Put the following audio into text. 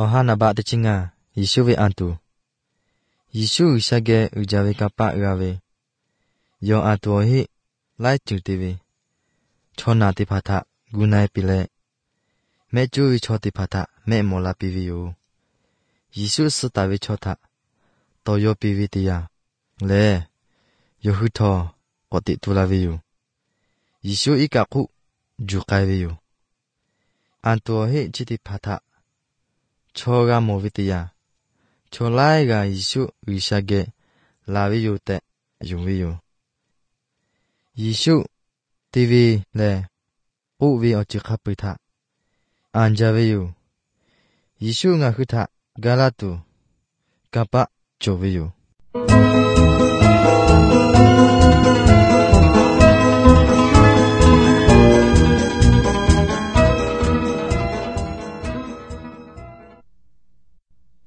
Ohana ba te chinga Yishu vi antu. Yishu shage ujawe kapa uawe. Yo antu hi lai chu ti vi. Chona ti phatha gunai pile. Me chu vi cho ti phatha me mola pi vi yu. Yishu si ta vi cho tha. To yo pi vi ti ya. Le. Yo hu tho ko ti tu la vi yu. Yishu i ka ku ju kai vi yu. Antu hi chi ti phatha. Cho ga mo vi ti ya. Cho lai ga Yishu yu shage la vi yu te yu vi yu. Yishu ti vi le u vi o chi kha pu tha. An ja vi yu. Yishu nga hu tha ga la tu. Ka pa cho vi yu.